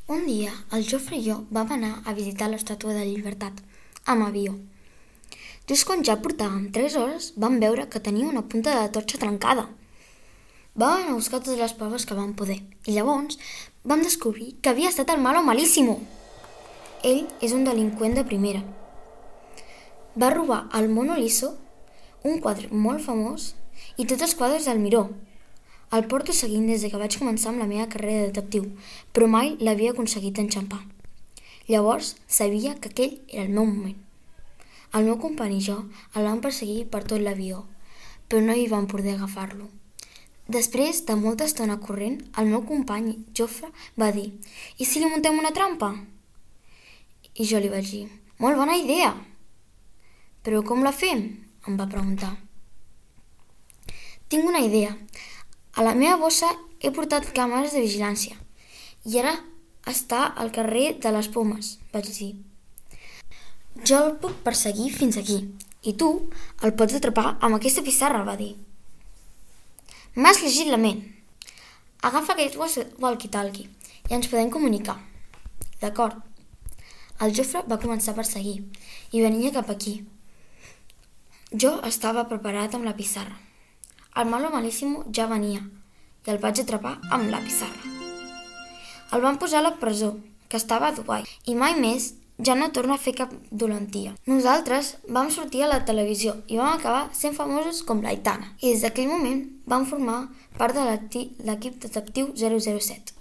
Un dia, el Jofre i jo vam anar a visitar l'Estàtua de la Llibertat, amb avió. Just quan ja portàvem 3 hores, vam veure que tenia una punta de la torxa trencada. Vam anar a buscar totes les proves que vam poder, i llavors vam descobrir que havia estat el Malo Malísimo. Ell és un delinqüent de primera. Va robar el Mono Liso, un quadre molt famós, i tots els quadres del Miró. El porto seguint des que vaig començar amb la meva carrera de detectiu, però mai l'havia aconseguit enxampar. Llavors sabia que aquell era el meu moment. El meu company i jo el vam perseguir per tot l'avió, però no hi vam poder agafar-lo. Després de molta estona corrent, el meu company Jofre va dir: «I si li muntem una trampa?» I jo li vaig dir: «Molt bona idea!» «Però com la fem?», em va preguntar. «Tinc una idea. A la meva bossa he portat càmeres de vigilància i ara està al carrer de les Pomes», vaig dir. «Jo el puc perseguir fins aquí i tu el pots atrapar amb aquesta pissarra», va dir. «M'has llegit la ment. Agafa aquest walkie-talkie i ens podem comunicar». «D'acord». El Jofre va començar a perseguir i venia cap aquí. Jo estava preparat amb la pissarra. El Malo Malísimo ja venia i el vaig atrapar amb la pissarra. El van posar a la presó, que estava a Dubai, i mai més ja no torna a fer cap dolentia. Nosaltres vam sortir a la televisió i vam acabar sent famosos com l'Aitana. I des d'aquell moment vam formar part de l'equip detectiu 007.